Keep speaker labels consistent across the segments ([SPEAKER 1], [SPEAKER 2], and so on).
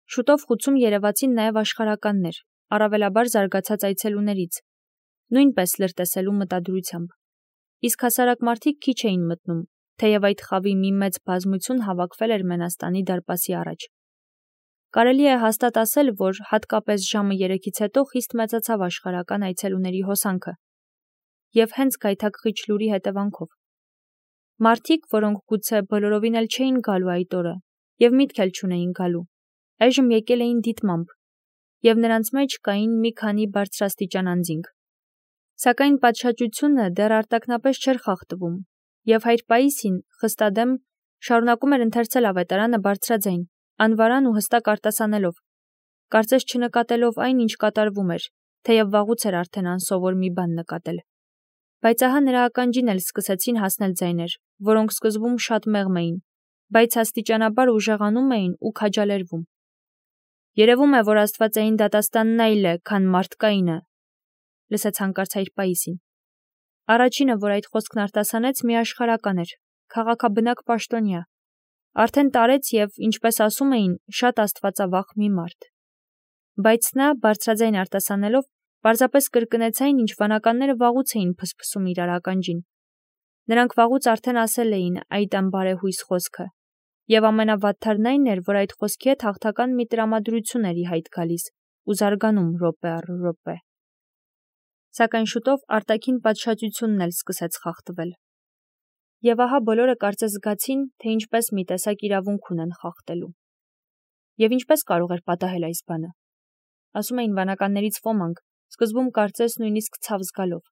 [SPEAKER 1] Շուտով խուցում երևացին նաև աշխարհականներ, առավելաբար զարգացած այցելուներից, նույնպես լրտեսելու մտադրությամբ։ Իսկ հասարակ մարդիկ քիչ էին մտնում, թեև այդ խավի մի մեծ բազմություն հավաքվել էր Մենաստանի դարպասի առաջ։ Կարելի է հաստատ ասել, որ հատկապես ժամը 3-ից հետո խիստ մեծացավ աշխարհական այցելուների հոսանքը, և հենց գայթակղիչ լուրի հետևանքով։ Մարդիկ, որոնք գուցե բոլորովին էլ չէին գալու այդ օրը, և միտք էլ չունեին գալու, այժմ եկել էին դիտմամբ, և նրանց մեջ կային մի քանի բարձրաստիճան անձինք։ Սակայն պատշաճությունը դեռ արտաքնապես չէր խախտվում, և հայր Պաիսին, խստադեմ, շարունակում էր ընթերցել ավետարանը բարձրաձայն, անվարան ու հստակ արտասանելով, կարծես չնկատելով այն, ինչ կատարվում էր, թեև վաղուց էր արդեն անսովոր մի բան նկատել։ Բայց ահա նրա ականջին էլ սկսեցին հասնել ձայներ, որոնք սկզբում շատ մեղմ էին, բայց աստիճանաբար ուժեղանում էին ու քաջալերվում։ «Երևում է, որ աստվածային դատաստանն այլ է, քան մարդկայինը», լսեց հանկարծ հայր Պաիսին։ Առաջինը, որ այդ խոսքն արտասանեց, մի աշխարհական էր, քաղաքաբնակ պաշտոնյա, արդեն տարեց և, ինչպես ասում էին, շատ աստվածավախ մի մարդ։ Բայց նա, բարձրաձայն արտասանելով, պարզապես կրկնեց այն, ինչ վանականները վաղուց էին փսփսում իրար ականջին։ Նրանք վաղուց արդեն ասել էին այդ անբարեհույս խոսքը, և ամենավատթարն այն էր, որ այդ խոսքի հետ հաղթական մի տրամադրություն էր ի հայտ գալիս ու զարգանում րոպե առ րոպե։ Սակայն շուտով արտաքին պատշաճությունն էլ սկսեց խախտվել։ Եվ ահա բոլորը կարծես զգացին, թե ինչպես մի տեսակ իրավունք ունեն խախտելու։ Եվ ինչպես կարող էր պատահել այս բանը։ Ասում էին վանականներից ոմանք, սկզբում կարծես նույնիսկ ցավ զգալով։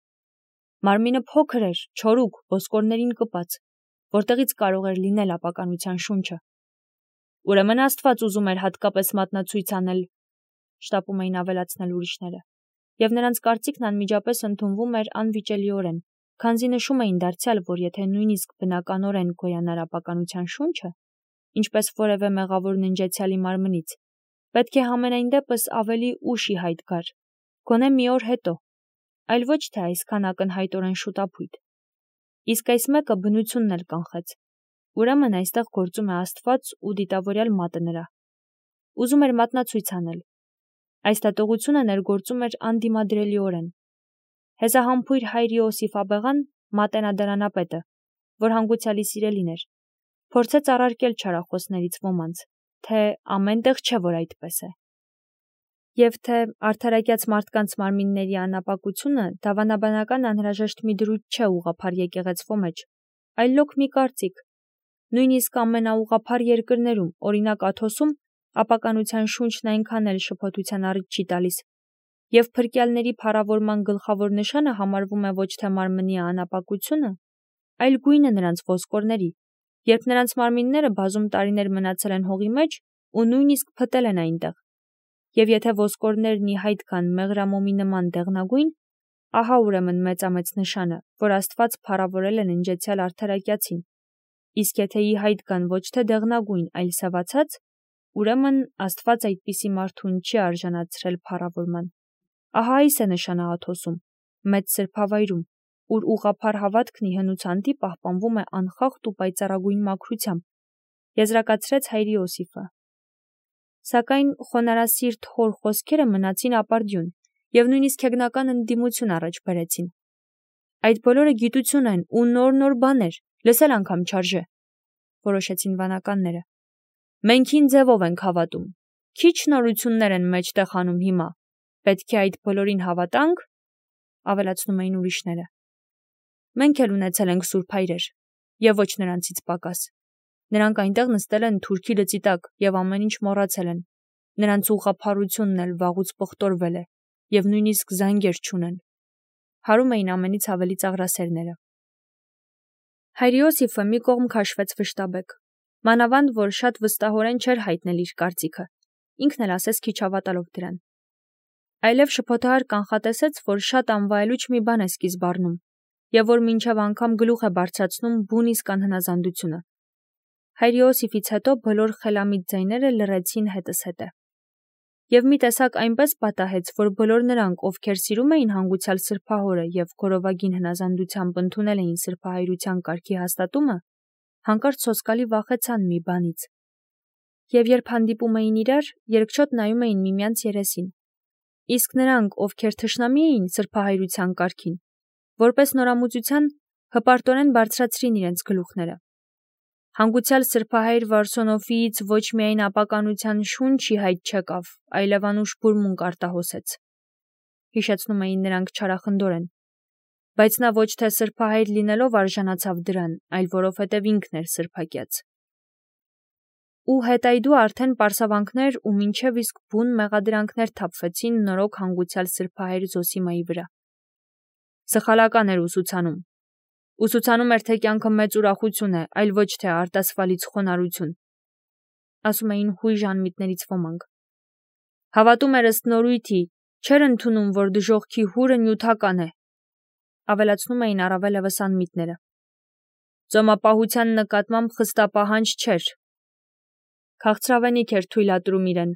[SPEAKER 1] Մարմինը փոքր էր, չորուկ, ոսկորներին կպած, որտեղից կարող էր լինել ապականության շունչը։ Ուրեմն Աստված ուզում էր հատկապես մատնացույց անել, շտապում էին ավելացնել ուրիշները, և նրանց կարծիքն անմիջապես ընդունվում էր անվիճելիորեն, քանզի նշում էին դարձյալ, որ եթե նույնիսկ բնականորեն գոյանար ապականության շունչը, ինչպես որևէ մեղավոր ննջեցյալի մարմնից, պետք է համենայն դեպս ավելի ուշ ի հայտ գար, գոնե մի օր հետո, այլ ոչ թե այսքան ակնհայտորեն շուտափույթ։ Իսկ այս մեկը բնությունն էլ կանխեց։ Ուրեմն այստեղ գործում է Աստված ու դիտավորյալ մատը նրա։ Ուզում էր մատնացույց անել։ Այս դատողությունը ներգործում էր անդիմադրելիորեն։ Հեզահամբույր հայր Իոսիֆ աբեղան, մատենադարանապետը, որ հանգուցյալի սիրելին էր, փորձեց առարկել չարախոսներից ոմանց, թե ամեն տեղ չէ, որ այդպես է, և թե արդարակյաց մարդկանց մարմինների անապակությունը դավանաբանական անհրաժեշտ մի դրույթ չէ ուղղափառ եկեղեցվո մեջ, այլ լոկ մի կարծիք։ Նույնիսկ ամենաուղղափառ երկրներում, օրինակ Աթոսում, ապականության շունչն այնքան էլ շփոթության առիթ չի տալիս, և փրկյալների փառավորման գլխավոր նշանը համարվում է ոչ թե մարմնի անապակությունը, այլ գույնը նրանց ոսկորների, երբ նրանց մարմինները բազում տարիներ մնացել են հողի մեջ ու նույնիսկ փտել են այնտեղ, և եթե ոսկորներն ի հայտ գան մեղրամոմի նման դեղնագույն, ահա ուրեմն մեծամեծ նշանը, որ Աստված փառավորել է ննջեցյալ արդարակյացին, իսկ եթե ի հայտ գան ոչ թե դեղնագույն, այլ սևացած, ուրեմն Աստված այդպիսի մարդուն չի արժանացրել փառավորման։ Ահա այս է նշանը Աթոսում, մեծ սրբավայրում, ուր ուղղափառ հավատքն ի հնուցանդի պահպանվում է անխախտ ու պայծառագույն մաքրությամբ, եզրակացրեց հայր Իոսիֆը։ Սակայն խոնարհասիրտ հոր խոսքերը մնացին ապարդյուն և նույնիսկ հեգնական ընդդիմություն առաջ բերեցին։ Այդ բոլորը գիտություն են ու նոր բաներ, լսել անգամ չարժե, որոշեցին վանականները։ Մենք հին ձևով ենք հավատում, քիչ նորություններ են մեջտեղ անում հիմա, պետք է այդ բոլորին հավատանք, ավելացնում էին ուրիշները։ Մենք էլ ունեցել ենք սուրբ հայրեր, և ոչ նրանցից պակաս։ Նրանք այնտեղ նստել են թուրքի լծի տակ և ամեն ինչ մոռացել են։ Նրանց ուղղափառությունն էլ վաղուց պղտորվել է, և նույնիսկ զանգեր չունեն։ Հարում էին ամենից ավելի ծաղրասերները։ Հայր Իոսիֆը մի կողմ քաշվեց վշտաբեկ, մանավանդ որ շատ վստահորեն չէր հայտնել իր կարծիքը, ինքն էլ ասես քիչ հավատալով դրան։ Այլև շփոթահար կանխատեսեց, որ շատ անվայելուչ մի բան է սկիզբ առնում, և որ մինչև անգամ գլուխ է բարձրացնում բուն իսկ անհնազանդությունը։ Հայր Իոսիֆից հետո բոլոր խելամիտ ձայները լռեցին հետզհետե։ Եվ մի տեսակ այնպես պատահեց, որ բոլոր նրանք, ովքեր սիրում էին հանգուցյալ սրբահորը և գորովագին հնազանդությամբ ընդունել էին սրբահայրության կարգի հաստատումը, հանկարծ սոսկալի վախեցան մի բանից։ Եվ երբ հանդիպում էին իրար, երկչոտ նայում էին միմյանց երեսին։ Իսկ նրանք, ովքեր թշնամի էին սրբահայրության կարգին, որպես նորամուծության հպարտորեն բարձրացրին իրենց գլուխները։ Հանգուցյալ սրբահայր Վարսոնոֆիից ոչ միայն ապականության շունչի հայտ չեկավ, այլև անուշ բուրմունք արտահոսեց։ Հիշեցնում էին նրանք չարախնդորեն։ Բայց նա ոչ թե սրբահայր լինելով արժանացավ դրան, այլ որովհետև ինքն էր սրբակյաց։ Ու հետայդու արդեն պարսավանքներ ու մինչև իսկ բուն մեղադրանքներ թափվեցին նորոգ հանգուցյալ սրբահայր Զոսիմայի վրա։ Սխալական էր ուսուցանում։ Ուսուցանում էր, թե կյանքը մեծ ուրախություն է, այլ ոչ թե արտասվալից խոնարհություն, ասում էին հույժ անմիտներից ոմանք։ Հավատում էր ըստ նորույթի, չէր ընդունում, որ դժոխքի հուրը նյութական է, ավելացնում էին առավելևս անմիտները։ Ծոմապահության նկատմամբ խստապահանջ չէր։ Քաղցրավենիք էր թույլատրում իրեն,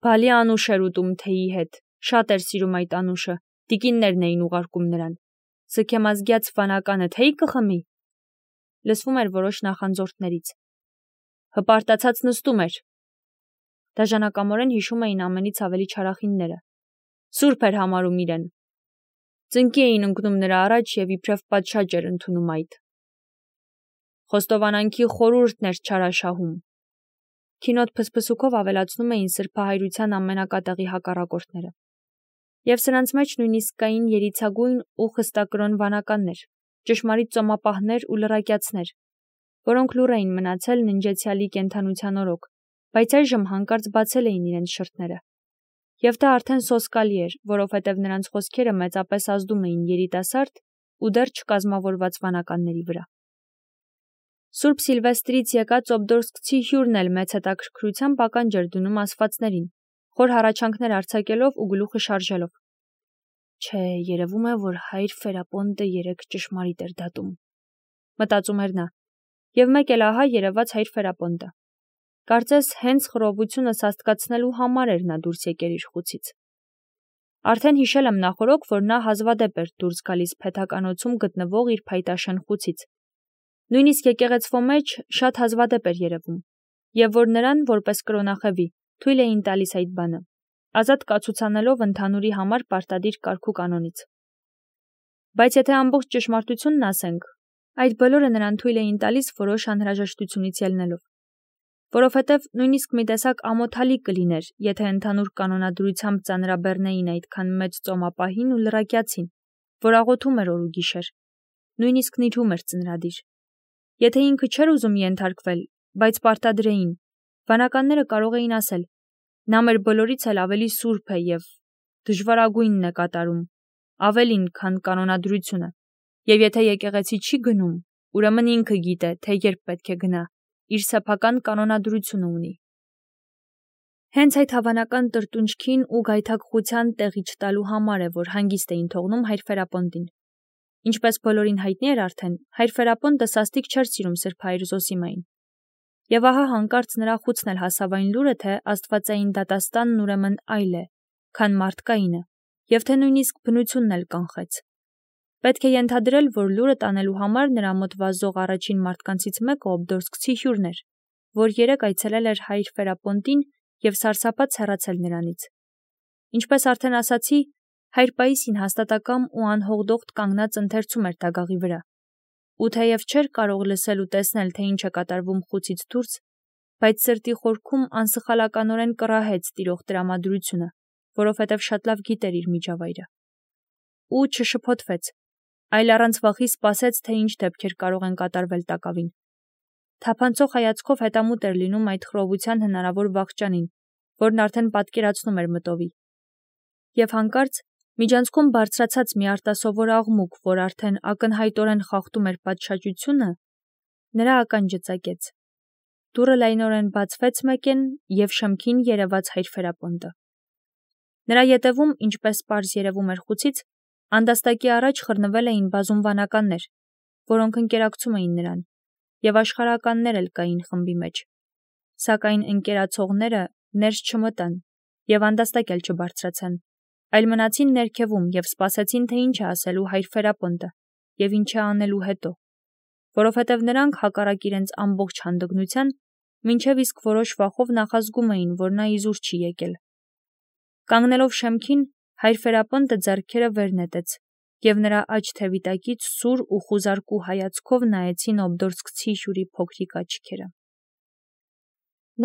[SPEAKER 1] բալի անուշ էր ուտում թեյի հետ, շատ էր սիրում այդ անուշը, տիկիններն էին ուղարկում նրան։ Սքեմազգյաց վանականը թեյ կխմի, լսվում էր որոշ նախանձորդներից։ Հպարտացած նստում էր։ Դաժանակամորեն հիշում էին ամենից ավելի չարախինները։ Սուրբ էր համարում իրեն։ Ծնկի էին ընկնում նրա առաջ և իբրև պատշաճ էր ընդունում այդ։ Խոստովանանքի խորհուրդն էր չարաշահում։ Քինոտ փսփսուքով ավելացնում էին սրբահայրության ամենակատաղի հակառակորդները։ Եվ սրանց մեջ նույնիսկ կային երիցագույն ու խստակրոն վանականներ, ճշմարիտ ծոմապահներ ու լրակյացներ, որոնք լուռ էին մնացել ննջեցյալի կենդանության օրոք, բայց այժմ հանկարծ բացել էին իրենց շրթները։ Եվ դա արդեն սոսկալի էր, որովհետև նրանց խոսքերը մեծապես ազդում էին երիտասարդ ու դեռ չկազմավորված վանականների վրա։ Սուրբ Սիլվեստրից եկած օբդորսկցի հյուրն էլ մեծ հետաքրքրությամբ ականջ էր դնում ասվածներին, խոր հառաչանքներ արձակելով ու գլուխը շարժելով։ Չէ, երևում է, որ հայր Ֆերապոնտը երեկ ճշմարիտ էր դատում, մտածում էր նա, և մեկ էլ ահա երևաց հայր Ֆերապոնտը։ Կարծես հենց խռովությունը սաստկացնելու համար էր նա դուրս եկել իր խուցից։ Արդեն հիշել եմ նախօրոք, որ նա հազվադեպ էր դուրս գալիս փեթականոցում գտնվող իր փայտաշեն խուցից։ Նույնիսկ եկեղեցվո մեջ շատ հազվադեպ էր երևում, և որ նրան, որպես կրոնախևի, թույլ էին տալիս այդ բանը, ազատ կացուցանելով ընդհանուրի համար պարտադիր կարգ ու կանոնից։ Բայց եթե ամբողջ ճշմարտությունն ասենք, այդ բոլորը նրան թույլ էին տալիս որոշ անհրաժեշտությունից ելնելով, որովհետև նույնիսկ մի տեսակ ամոթալի կլիներ, եթե ընդհանուր կանոնադրությամբ ծանրաբեռնեին այդքան մեծ ծոմապահին ու լրակյացին, որ աղոթում էր օր ու գիշեր, նույնիսկ նիրհում էր ծնրադիր։ Եթե ինքը չէր ուզում ենթարկվել, բայց պարտադրեին, վանականները կարող էին ասել. նա մեր բոլորից էլ ավելի սուրբ է և դժվարագույնն է կատարում, ավելին, քան կանոնադրությունը, և եթե եկեղեցի չի գնում, ուրեմն ինքը գիտե, թե երբ պետք է գնա, իր սեփական կանոնադրությունը ունի։ Հենց այդ հավանական տրտունջքին ու գայթակղության տեղի չտալու համար է, որ հանգիստ էին թողնում հայր Ֆերապոնտին։ Ինչպես բոլորին հայտնի էր արդեն, հայր Ֆերապոնտը սաստիկ չէր սիրում սրբահայր Զոսիմային։ Եվ ահա հանկարծ նրա խուցն էլ հասավ այն լուրը, թե աստվածային դատաստանն ուրեմն այլ է, քան մարդկայինը, և թե նույնիսկ բնությունն էլ կանխեց։ Պետք է ենթադրել, որ լուրը տանելու համար նրա մոտ վազող առաջին մարդկանցից մեկը օբդորսկցի հյուրն էր, որ երեկ այցելել էր հայր Ֆերապոնտին և սարսափած հեռացել նրանից։ Ինչպես արդեն ասացի, հայր Պաիսին հաստատակամ ու անհողդողդ կանգնած ընթերցում էր դագաղի վրա, ու թեև չէր կարող լսել ու տեսնել, թե ինչ է կատարվում խուցից դուրս, բայց սրտի խորքում անսխալականորեն կռահեց տիրող տրամադրությունը, որովհետև շատ լավ գիտեր իր միջավայրը։ Ու չշփոթվեց, այլ առանց վախի սպասեց, թե ինչ դեպքեր կարող են կատարվել տակավին։ Թափանցող հայացքով հետամուտ էր լինում այդ խռովության հնարավոր վախճանին, որն արդեն պատկերացնում էր մտովի։ Եվ հանկարծ միջանցքում բարձրացած մի արտասովոր աղմուկ, որ արդեն ակնհայտորեն խախտում էր պատշաճությունը, նրա ականջը ծակեց։ Դուռը լայնորեն բացվեց մեկեն, և շեմքին երևաց հայր Ֆերապոնտը։ Նրա ետևում, ինչպես պարզ երևում էր խուցից, անդաստակի առաջ խռնվել էին բազում վանականներ, որոնք ընկերակցում էին նրան, և աշխարհականներ էլ կային խմբի մեջ։ Սակայն ընկերացողները ներս չմտան և անդաստակ էլ չբարձրացան, այլ մնացին ներքևում և սպասեցին, թե ինչ է ասելու հայր Ֆերապոնտը և ինչ է անելու հետո, որովհետև նրանք հակառակ իրենց ամբողջ հանդգնության մինչև իսկ որոշ վախով նախազգում էին, որ նա իզուր չի եկել։ Կանգնելով շեմքին, հայր Ֆերապոնտը ձեռքերը վեր նետեց, և նրա աջ թևի տակից սուր ու խուզարկու հայացքով նայեցին օբդորսկցի հյուրի փոքրիկ աչքերը։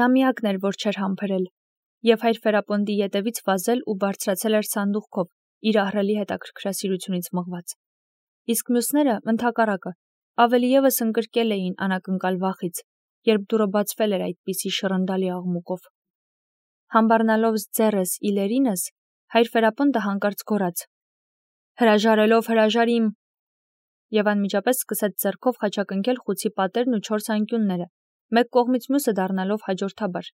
[SPEAKER 1] Նա միակն էր, որ չէր համբերել, և հայր Ֆերապոնտի ետևից վազել ու բարձրացել էր սանդուղքով, իր ահռելի հետաքրքրասիրությունից մղված։ Իսկ մյուսները, ընդհակառակը, ավելի ևս ընկրկել էին անակնկալ վախից, երբ դուռը բացվել էր այդպիսի շռնդալի աղմուկով։ Համբառնալով ձեռս իլերինս, հայր Ֆերապոնտը հանկարծ գոռաց. «Հրաժարելով հրաժարիմ», և անմիջապես սկսեց ձեռքով խաչակնքել խուցի պատերն ու 4 անկյունները, մեկ կողմից մյուսը դառնալով հաջորդաբար։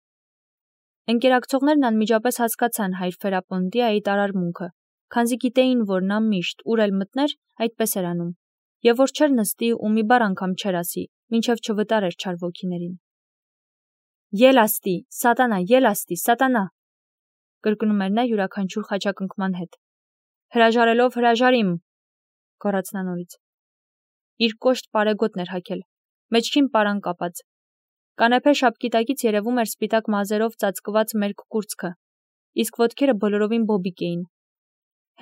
[SPEAKER 1] Ընկերակցողներն անմիջապես հասկացան հայր Ֆերապոնտի այդ արարմունքը, քանզի գիտեին, որ նա միշտ, ուր էլ մտներ, այդպես էր անում, և որ չէր նստի ու մի բառ անգամ չէր ասի, մինչև չվտարեր չար ոգիներին։ «Ելաստի, սատանա, ելաստի, սատանա», կրկնում էր նա յուրաքանչյուր խաչակնքման հետ։ «Հրաժարելով հրաժարիմ», գոռաց նա նորից։ Իր կոշտ պարեգոտն էր հագել, մեջքին պարան կապած։ Կանեփե շապկի տակից երևում էր սպիտակ մազերով ծածկված մերկ կուրծքը, իսկ ոտքերը բոլորովին բոբիկ էին։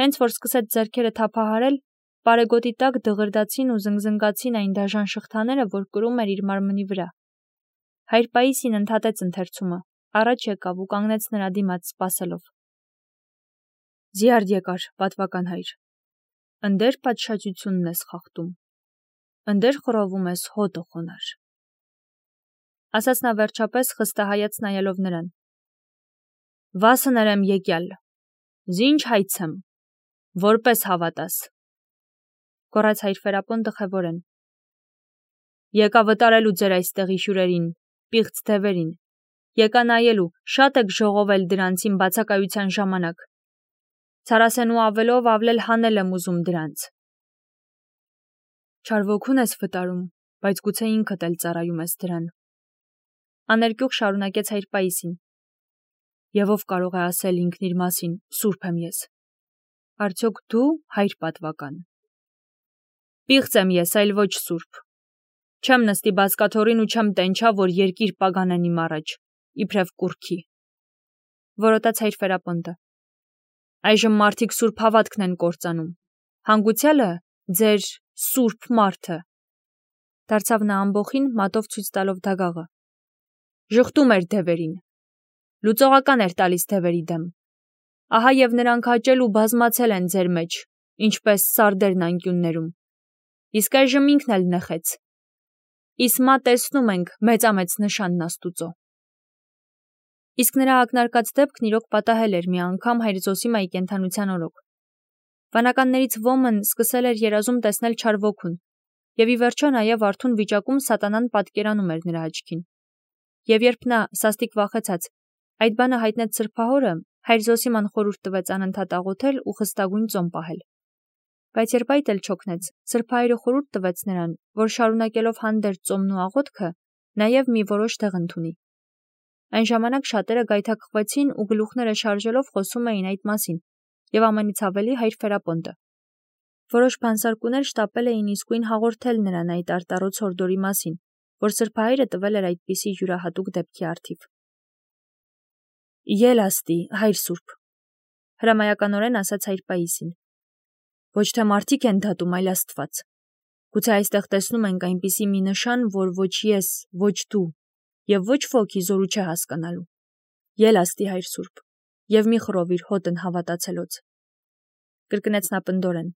[SPEAKER 1] Հենց որ սկսեց ձեռքերը թափահարել, պարեգոտի տակ դղրդացին ու զնգզնգացին այն դաժան շղթաները, որ կրում էր իր մարմնի վրա։ Հայր Պաիսին ընդհատեց ընթերցումը, առաջ եկավ ու կանգնեց նրա դիմաց, սպասելով։ «Զիարդ եկար, պատվական հայր, ընդեր պատշաճությունն ես խախտում, ընդեր խռովում ես հոտը խոնար», ասաց նա վերջապես խստահայաց նայելով նրան։ «Վասը ներեմ եկյալ, զինչ հայցեմ, որպես հավատաս», գոռաց հայր Ֆերապոնտը խևորեն։ «Եկա վտարելու ձեր այստեղի հյուրերին, պիղծ դևերին, եկա նայելու, շատ եք ժողովել դրանցին բացակայության ժամանակ, ցարասենու ավելով ավլել հանել եմ ուզում դրանց»։ «Չար ոգուն ես վտարում, բայց գուցե ինքդ էլ ծառայում ես դրան», աներկյուղ շարունակեց հայր Պաիսին։ «Եվ ով կարող է ասել ինքն իր մասին, սուրբ եմ ես, արդյոք դու, հայր պատվական»։ «Պիղծ եմ ես, այլ ոչ սուրբ, չեմ նստի բազկաթոռին ու չեմ տենչա, որ երկիր պագանեն իմ առաջ, իբրև կուռքի», որոտաց հայր Ֆերապոնտը։ «Այժմ մարդիկ սուրբ հավատքն են կործանում, հանգուցյալը ձեր սուրբ մարդը», դարձավ նա ամբոխին, մատով ցույց տալով դագաղը, «ժխտում էր դևերին, լուծողական էր տալիս դևերի դեմ, ահա և նրանք հաճել ու բազմացել են ձեր մեջ, ինչպես սարդերն անկյուններում, իսկ այժմ ինքն էլ նեխեց, իսմա տեսնում ենք մեծամեծ նշանն Աստուծո»։ Իսկ նրա ակնարկած դեպքն իրոք պատահել էր մի անգամ հայր Զոսիմայի կենդանության օրոք։ Վանականներից ոմն սկսել էր երազում տեսնել չար ոգուն, և ի վերջո նաև արթուն վիճակում սատանան պատկերանում էր նրա աչքին։ Եվ երբ նա, սաստիկ վախեցած, այդ բանը հայտնեց սրբահորը, հայր Զոսիման խորհուրդ տվեց անընդհատ աղոթել ու խստագույն ծոմ պահել։ Բայց երբ այդ էլ չօգնեց, սրբահայրը խորհուրդ տվեց նրան, որ շարունակելով հանդերձ ծոմն ու աղոթքը, նաև մի որոշ տեղ ընդունի։ Այն ժամանակ շատերը գայթակղվեցին ու գլուխները շարժելով խոսում էին այդ մասին, և ամենից ավելի հայր Ֆերապոնտը։ Որոշ բանսարկուներ շտապել էին իսկույն հաղորդել նրան այդ արտառոց հորդորի մասին, որ սրբահայրը տվել էր այդպիսի յուրահատուկ դեպքի առթիվ։ «Ելաստի, հայր սուրբ», հրամայականորեն ասաց հայր Պաիսին։ «Ոչ թե մարդիկ են դատում, այլ Աստված։ Գուցե այստեղ տեսնում ենք այնպիսի մի նշան, որ ոչ ես, ոչ դու, և ոչ ոք ի զորու չէ հասկանալու։ Ելաստի, հայր սուրբ, և մի խռովիր հոտն հավատացելոց», կրկնեց նա պնդորեն։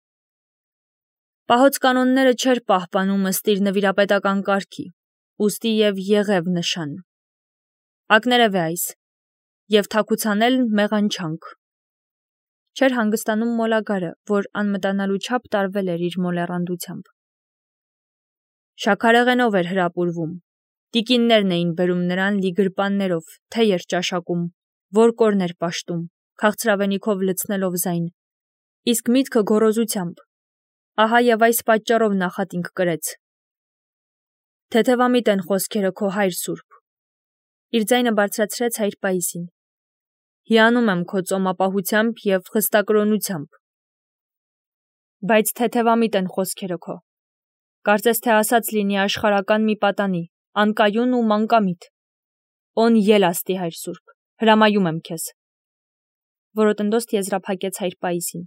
[SPEAKER 1] «Պահոց կանոնները չէր պահպանում ըստ իր նվիրապետական կարգի, ուստի և եղև նշան։ Ակներև է այս, և թաքուցանել մեղանչանք», չէր հանգստանում մոլագարը, որ անմտանալու չափ տարվել էր իր մոլեռանդությամբ։ Շաքարեղենով էր հրապուրվում, տիկիններն էին բերում նրան լի գրպաններով, թեյ էր ճաշակում, որկորն էր պաշտում, քաղցրավենիքով լցնելով ձայն, իսկ միտքը գոռոզությամբ, ահա և այս պատճառով նախատինք կրեց։ Թեթևամիտ են խոսքերը քո, հայր սուրբ, իր ձայնը բարձրացրեց հայր Պաիսին։ Հիանում եմ քո ծոմապահությամբ և խստակրոնությամբ։ Բայց թեթևամիտ են խոսքերը քո, կարծես թե ասած լինի աշխարհական մի պատանի, անկայուն ու մանկամիտ, Օն ելաստի հայր սուրբ, հրամայում եմ քեզ։ Որոտնდոստ եզրափակեց հայր Պայիսին։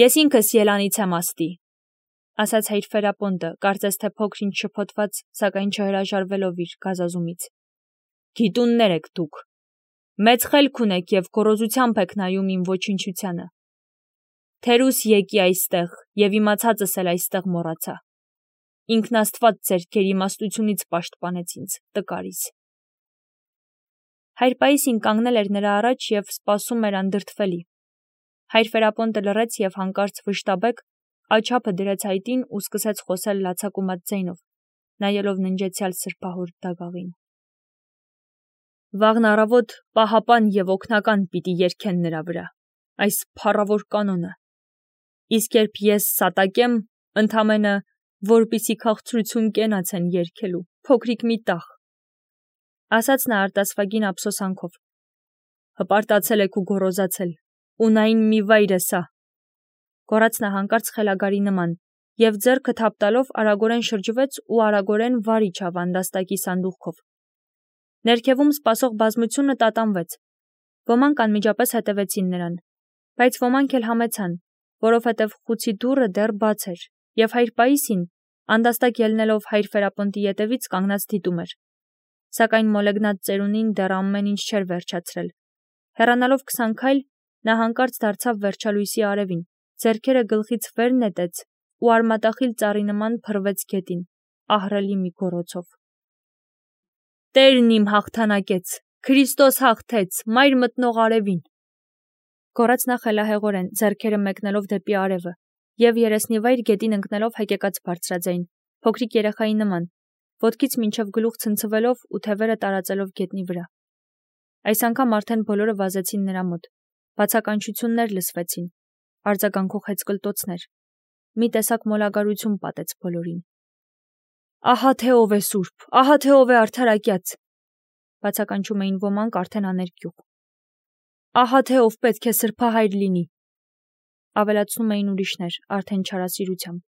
[SPEAKER 1] Ես ինքս ելանից եմ աստի, ասաց հայր Ֆերապոնտը, կարծես թե փոքր-ինչ շփոթված, սակայն չհրաժարվելով իր գազազումից։ Գիտուններ եք դուք, մեծ խելք ունեք և գոռոզությամբ եք նայում իմ ոչնչությանը։ Թերուս եկի այստեղ և իմացածս էլ այստեղ մոռացա։ Ինքն Աստված ձեր գերիմաստությունից պաշտպանեց ինձ, տկարիս։ Հայր Պայիսին կանգնել էր նրա առաջ և սպասում էր անդրդվելի։ Հայր Ֆերապոնտը լռեց և հանկարծ վշտաբեկ աչափը դրեց հայտին ու սկսեց խոսել լացակումած ձայնով, նայելով ննջեցյալ սրբահոր դագաղին։ Վաղն առավոտ պահապան և օգնական պիտի երգեն նրա վրա, այս փառավոր կանոնը։ Իսկ երբ ես սատակեմ, ընդամենը որպիսի քաղցրություն կենաց են երգելու, փոքրիկ մի տաղ, ասաց նա արտասվագին ափսոսանքով։ Հպարտացել եք ու գոռոզացել, ունայն մի վայր է սա, գոռաց նա հանկարծ խելագարի նման, և ձեռքը թափ տալով արագորեն շրջվեց ու արագորեն վար իջավ անդաստակի սանդուղքով։ Ներքևում սպասող բազմությունը տատանվեց։ Ոմանք անմիջապես հետևեցին նրան, բայց ոմանք էլ համեցան, որովհետև խուցի դուռը դեռ բաց էր, և հայր Պայիսին, անդաստակ ելնելով հայր Ֆերապոնտի ետևից կանգնած դիտում էր։ Սակայն մոլեգնած ծերունին դեռ ամեն ինչ չէր վերջացրել։ Հեռանալով 20 քայլ, նա հանկարծ դարձավ վերջալույսի արևին, ձեռքերը գլխից վեր նետեց ու արմատախիլ ծառի նման փռվեց գետին, ահռելի մի գոռոցով։ Տերն իմ հաղթանակեց, Քրիստոս հաղթեց, մայր մտնող արևին, գոռաց նա խելահեղորեն, ձեռքերը մեկնելով դեպի արևը, և երեսնիվայր գետին ընկնելով հեկեկաց բարձրաձայն, փոքրիկ երեխայի նման, ոտքից մինչև գլուխ ցնցվելով ու թևերը տարածելով գետնի վրա։ Այս անգամ արդեն բոլորը վազեցին նրա մոտ, բացականչություններ լսվեցին, արձագանքող հեծկլտոցներ, մի տեսակ մոլագարություն պատեց բոլորին։ Ահա թե ով է սուրբ, ահա թե ով է արդարակյաց, բացականչում էին ոմանք արդեն աներկյուղ։ Ահա թե ով պետք է սրբահայր լինի, ավելացնում էին ուրիշներ, արդեն չարասիրությամբ։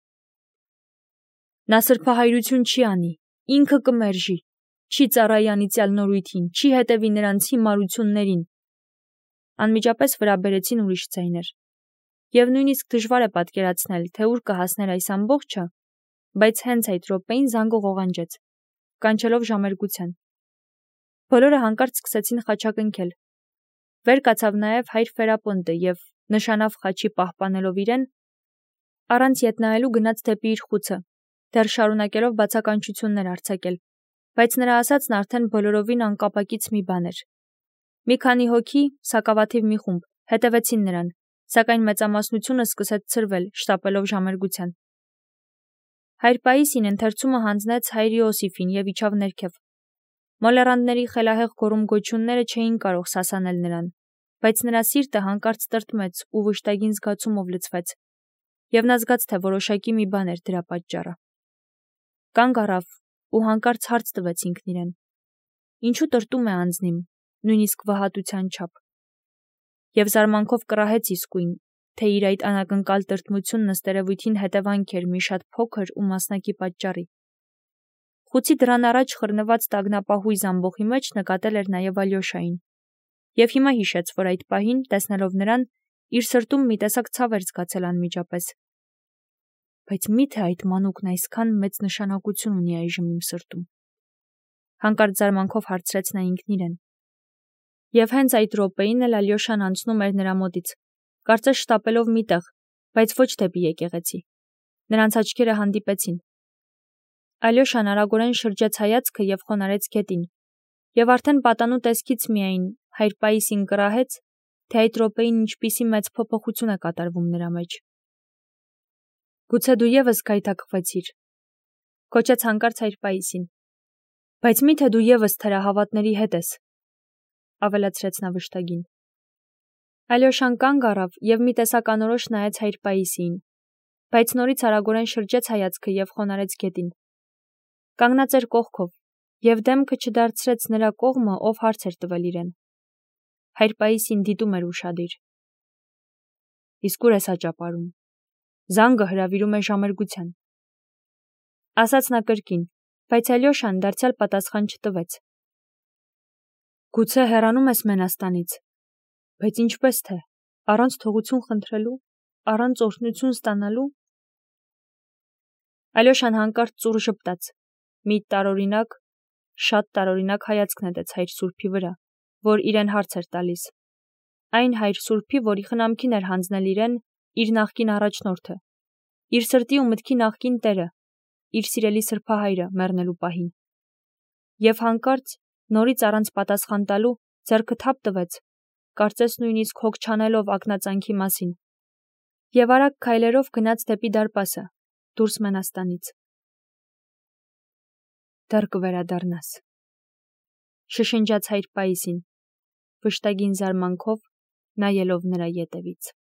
[SPEAKER 1] Նա սրբահայրություն չի անի, ինքը կմերժի, չի ծառայի անիծյալ նորույթին, չի հետևի նրանց հիմարություններին։ Անմիջապես վրա բերեցին ուրիշ ձայներ։ Եվ նույնիսկ դժվար է պատկերացնել, թե ուր կհասներ այս ամբողջը, բայց հենց այդ րոպեին զանգը ղողանջեց, կանչելով ժամերգության։ Բոլորը հանկարծ սկսեցին խաչակնքել։ Վեր կացավ նաև հայր Ֆերապոնտը և, նշանավ խաչի պահպանելով իրեն, առանց ետ նայելու գնաց դեպի իր խուցը, դեռ շարունակելով բացականչություններ արձակել, բայց նրա ասածն արդեն բոլորովին անկապակից մի բան էր։ Մի քանի հոգի, սակավաթիվ մի խումբ, հետևեցին նրան, սակայն մեծամասնությունը սկսեց ցրվել, շտապելով ժամերգության։ Հայր Պայիսին ընթերցումը հանձնեց հայր Իոսիֆին և իջավ ներքև։ Մոլեռանդների խելահեղ գոռում-գոչյունները չէին կարող սասանել նրան, բայց նրա սիրտը հանկարծ տրտմեց ու վշտագին զգացումով լցվեց, և նա զգաց, թե որոշակի մի բան էր դրա պատճառը։ Կանգ առավ ու հանկարծ հարց տվեց ինքն իրեն. ինչու տրտում է անձնիմ, նույնիսկ վհատության չափ։ Եվ զարմանքով կռահեց իսկույն, թե իր այդ անակնկալ տրտմությունն ըստ երևույթին հետևանք էր մի շատ փոքր ու մասնակի պատճառի։ Խուցի դռան առաջ խռնված տագնապահույզ ամբոխի մեջ նկատել էր նաև Ալյոշային, և հիմա հիշեց, որ այդ պահին, տեսնելով նրան, իր սրտում մի տեսակ ցավ էր զգացել անմիջապես։ Բայց մի՞թե այդ մանուկն այսքան մեծ նշանակություն ունի այժմ իմ սրտում։ Հանկարծ զարմանքով հարցրեց նա ինքն իրեն։ Եվ հենց այդ րոպեին էլ Ալյոշան անցնում էր նրա մոտից, կարծես շտապելով մի տեղ, բայց ոչ դեպի եկեղեցի։ Նրանց աչքերը հանդիպեցին։ Ալյոշան արագորեն շրջեց հայացքը և խոնարհեց գետին, և արդեն պատանու տեսքից միայն հայր Պայիսին կռահեց, թե այդ րոպեին ինչպիսի մեծ փոփոխություն է կատարվում նրա մեջ։ Գուցե դու ևս գայթակղվեցիր, կոչեց հանկարծ հայր Պայիսին։ Բայց մի՞թե դու ևս թերահավատների հետ ես, ավելացրեց նա վշտագին։ Ալյոշան կանգ առավ և մի տեսակ անորոշ նայեց հայր Պայիսիին, բայց նորից արագորեն շրջեց հայացքը և խոնարհեց գետին։ Կանգնած էր կողքով և դեմքը չդարձրեց նրա կողմը, ով հարց էր տվել իրեն։ Հայր Պայիսին դիտում էր ուշադիր։ Իսկ ուր ես աճապարում։ Զանգը հրավիրում է ժամերգության, ասաց նա կրկին, բայց Ալյոշան դարձյալ պատասխան չտվեց։ Գուցե հեռանում ես Մենաստանից, բայց ինչպես թե, առանց թողություն խնդրելու, առանց օրհնություն ստանալու։ Ալյոշան հանկարծ ծուռ ժպտաց, մի տարօրինակ, շատ տարօրինակ հայացք նետեց հայր Սուրբի վրա, որ իրեն հարց էր տալիս։ Այն հայր Սուրբի, որի խնամքին էր հանձնել իրեն իր նախկին առաջնորդը, իր սրտի ու մտքի նախկին տերը, իր սիրելի սրբահայրը մեռնելու պահին։ Եվ հանկարծ, նորից առանց պատասխան տալու, ձեռքը թափ տվեց, կարծես նույնիսկ հոգ չանելով ակնածանքի մասին, եւ արագ քայլերով գնաց դեպի դարպասը, դուրս Մենաստանից։ Դեռ կվերադառնաս, շշնջաց հայր Պաիսին, վշտագին զարմանքով նայելով նրա ետևից։